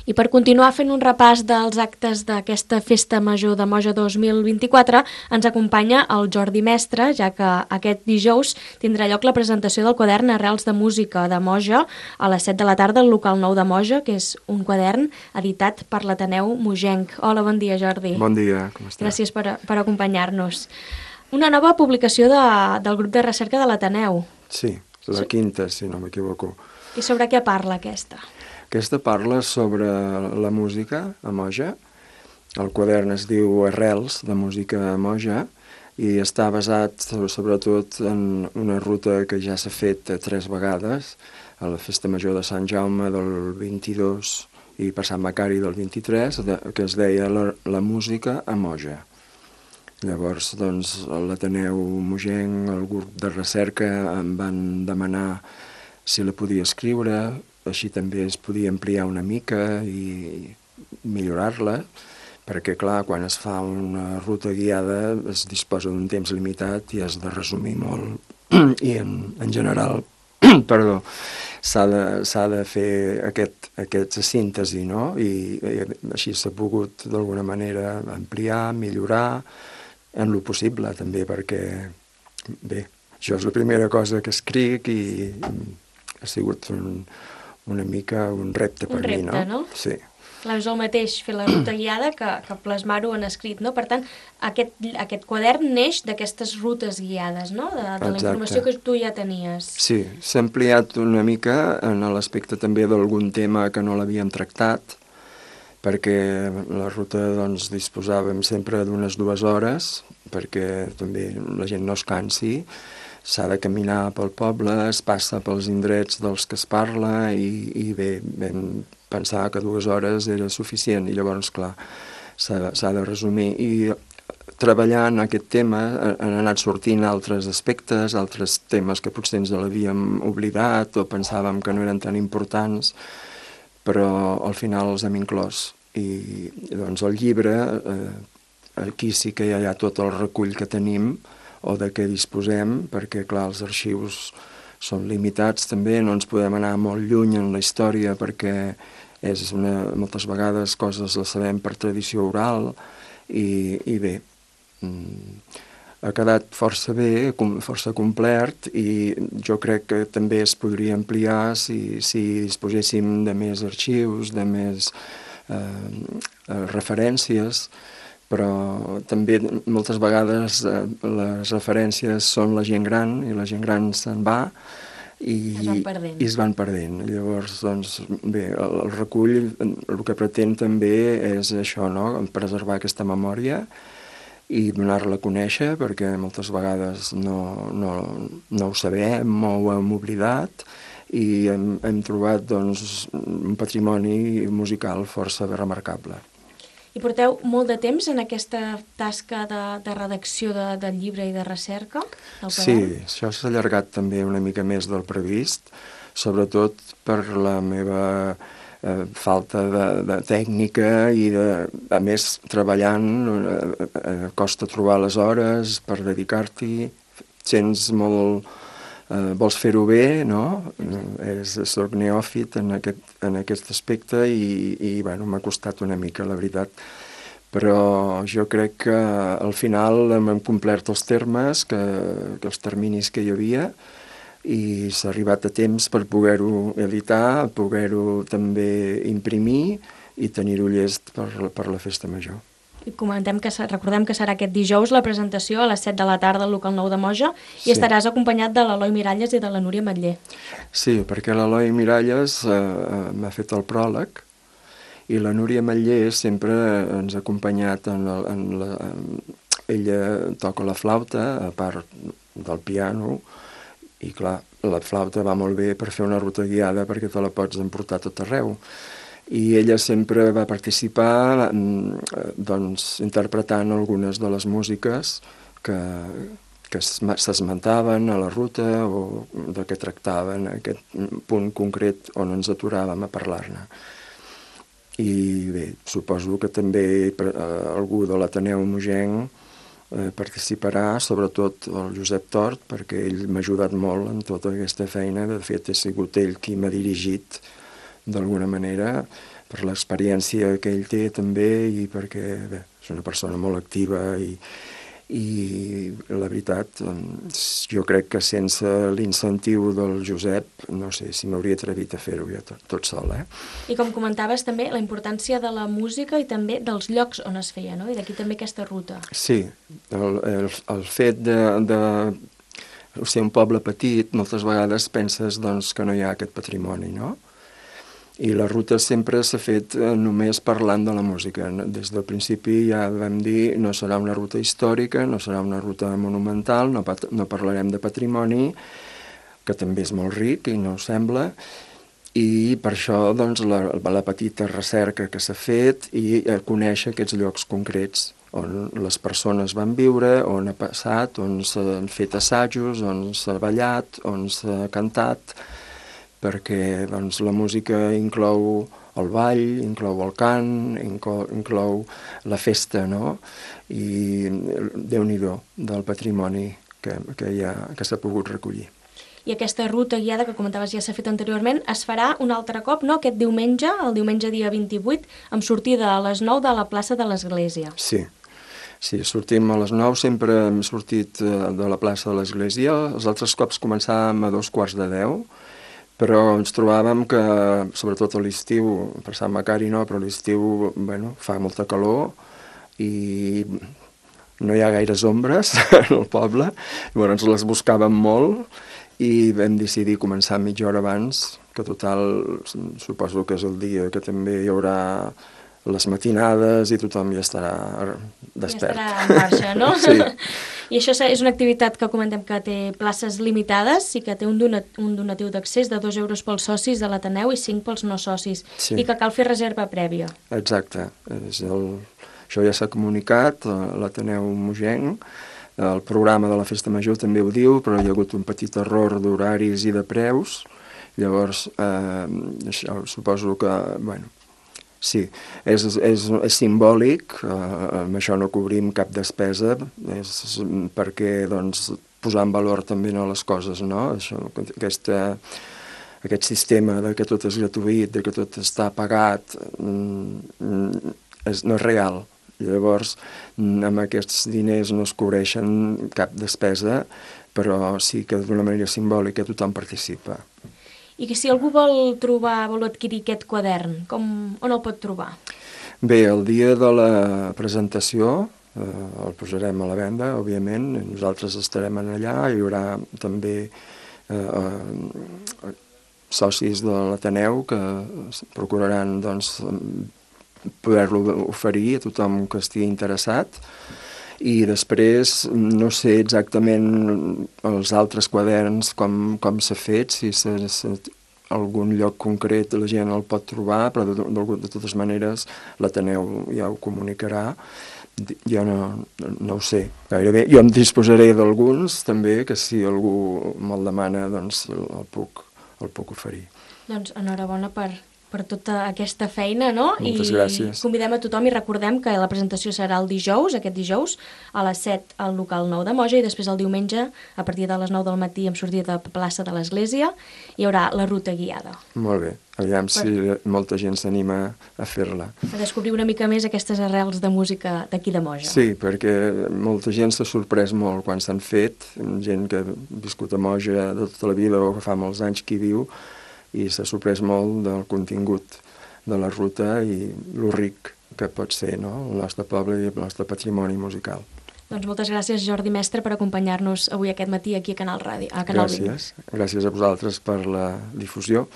I per continuar fent un repàs dels actes d'aquesta Festa Major de Moja 2024, ens acompanya el Jordi Mestre, ja que aquest dijous tindrà lloc la presentació del quadern Arrels de Música de Moja a les 7 de la tarda al local 9 de Moja, que és un quadern editat per l'Ateneu Mojenc. Hola, bon dia, Jordi. Bon dia, com estàs? Gràcies per acompanyar-nos. Una nova publicació del grup de recerca de l'Ateneu. Sí, la quinta, si no m'equivoco. I sobre què parla aquesta? Aquesta parla sobre la música a Moja. El quadern es diu Arrels de Música a Moja i està basat sobretot en una ruta que ja s'ha fet 3 vegades, a la Festa Major de Sant Jaume del 22 i per Sant Macari del 23, que es deia la música a Moja. Llavors, doncs, l'Ateneu Mojenc, el grup de recerca, em van demanar si la podia escriure, així també es podia ampliar una mica i millorar-la, perquè, clar, quan es fa una ruta guiada es disposa d'un temps limitat i has de resumir molt. I, en general, perdó, s'ha de fer aquesta síntesi, no? I així s'ha pogut, d'alguna manera, ampliar, millorar, en lo possible, també, perquè, bé, això és la primera cosa que escric i ha sigut una mica un repte per mi, no? Un repte, no? Sí. Clar, és el mateix fer la ruta guiada que plasmar-ho en escrit, no? Per tant, aquest quadern neix d'aquestes rutes guiades, no? De la informació que tu ja tenies. Sí, s'ha ampliat una mica en l'aspecte també d'algun tema que no l'havíem tractat, perquè la ruta doncs, disposàvem sempre d'unes 2 hores, perquè també la gent no es cansi, s'ha de caminar pel poble, es passa pels indrets dels que es parla i bé, vam pensar que 2 hores era suficient i llavors, clar, s'ha de resumir. I treballant aquest tema han anat sortint altres aspectes, altres temes que potser ens l'havíem oblidat o pensàvem que no eren tan importants, però al final els hem inclòs. I doncs el llibre, aquí sí que ja hi ha tot el recull que tenim o de què disposem, perquè clar, els arxius són limitats també, no ens podem anar molt lluny en la història perquè moltes vegades coses les sabem per tradició oral i bé, ha quedat força bé, força complet i jo crec que també es podria ampliar si disposéssim de més arxius, de més referències, però també moltes vegades les referències són la gent gran i la gent gran se'n va i es van perdent. Llavors, doncs, bé, el recull el que pretén també és això, no? Preservar aquesta memòria i donar-la a conèixer, perquè moltes vegades no ho sabem o ho hem oblidat i hem trobat doncs, un patrimoni musical força remarcable. I porteu molt de temps en aquesta tasca de redacció del llibre i de recerca? Sí, això s'ha allargat també una mica més del previst, sobretot per la meva falta de tècnica i, a més, treballant, costa trobar les hores per dedicar-t'hi, sents molt... vols fer-ho bé, no? Soc neòfit en aquest aspecte i bueno, m'ha costat una mica, la veritat. Però jo crec que al final hem complert els termes, els terminis que hi havia, i s'ha arribat a temps per poder-ho editar, poder-ho també imprimir i tenir-ho llest per la Festa Major. I recordem que serà aquest dijous la presentació a les 7 de la tarda al local 9 de Moja i estaràs acompanyat de l'Eloi Miralles i de la Núria Matller. Sí, perquè l'Eloi Miralles m'ha fet el pròleg i la Núria Matller sempre ens ha acompanyat ella toca la flauta, a part del piano, i clar, la flauta va molt bé per fer una ruta guiada perquè te la pots emportar tot arreu. I ella sempre va participar doncs, interpretant algunes de les músiques que s'esmentaven a la ruta o de què tractaven aquest punt concret on ens aturàvem a parlar-ne. I bé, suposo que també algú de l'Ateneu Mojenc participarà, sobretot el Josep Tort, perquè ell m'ha ajudat molt en tota aquesta feina. De fet, ha sigut ell qui m'ha dirigit d'alguna manera per l'experiència que ell té també i perquè bé, és una persona molt activa i la veritat, jo crec que sense l'incentiu del Josep, no sé si m'hauria atrevit a fer-ho jo tot sol. I com comentaves també, la importància de la música i també dels llocs on es feia, no? I d'aquí també aquesta ruta. Sí, el fet de ser un poble petit, moltes vegades penses doncs, que no hi ha aquest patrimoni, no? I la ruta sempre s'ha fet només parlant de la música. Des del principi ja vam dir no serà una ruta històrica, no serà una ruta monumental, no parlarem de patrimoni, que també és molt ric i no ho sembla, i per això doncs, la petita recerca que s'ha fet i conèixer aquests llocs concrets on les persones van viure, on ha passat, on s'han fet assajos, on s'ha ballat, on s'ha cantat, perquè doncs, la música inclou el ball, inclou el cant, inclou la festa, no? I Déu-n'hi-do del patrimoni que s'ha pogut recollir. I aquesta ruta guiada que comentaves ja s'ha fet anteriorment es farà un altre cop, no? Aquest diumenge, el diumenge dia 28, amb sortida a les 9 de la plaça de l'Església. Sí, sortim a les 9, sempre hem sortit de la plaça de l'Església, els altres cops començàvem a 2:45, però ens trobàvem que, sobretot a l'estiu, per Sant Macari no, però a l'estiu fa molta calor i no hi ha gaires ombres al poble, llavors les buscàvem molt i vam decidir començar mitja hora abans, que total suposo que és el dia que també hi haurà les matinades i tothom ja estarà despert. Ja estarà en marxa, no? Sí. I això és una activitat que comentem que té places limitades i que té un donatiu d'accés de 2 euros pels socis de l'Ateneu i 5 pels no socis, sí. I que cal fer reserva prèvia. Exacte. Això ja s'ha comunicat a l'Ateneu Mogenc, el programa de la Festa Major també ho diu, però hi ha hagut un petit error d'horaris i de preus, llavors això, suposo que, sí, és simbòlic, amb això no cobrim cap despesa, és perquè doncs, posar en valor també les coses, no? Aquest sistema de que tot és gratuït, de que tot està pagat, no és real. Llavors, amb aquests diners no es cobreixen cap despesa, però sí que d'una manera simbòlica tothom participa. I que si algú vol adquirir aquest quadern, on el pot trobar? Bé, el dia de la presentació el posarem a la venda, òbviament, nosaltres estarem allà, hi haurà també socis de l'Ateneu que procuraran doncs, poder-lo oferir a tothom que estigui interessat. I després no sé exactament els altres quaderns com s'ha fet, si algun lloc concret la gent el pot trobar, però de totes maneres l'Ateneu ja ho comunicarà. Jo no ho sé gairebé. Jo em disposaré d'alguns també, que si algú me'l demana doncs el puc oferir. Doncs enhorabona per tota aquesta feina, no? Moltes gràcies. I convidem a tothom i recordem que la presentació serà aquest dijous, a les 7 al local 9 de Moja i després el diumenge, a partir de les 9 del matí, amb sortida de plaça de l'Església, hi haurà la ruta guiada. Molt bé. Aviam si molta gent s'anima a fer-la. A descobrir una mica més aquestes arrels de música d'aquí de Moja. Sí, perquè molta gent s'ha sorprès molt quan s'han fet, gent que ha viscut a Moja de tota la vida o que fa molts anys que hi viu, i s'ha sorprès molt del contingut de la ruta i lo ric que pot ser, no? El nostre poble i el nostre patrimoni musical. Doncs moltes gràcies, Jordi Mestre, per acompanyar-nos avui aquest matí aquí a Canal Ràdio. Gràcies a vosaltres per la difusió.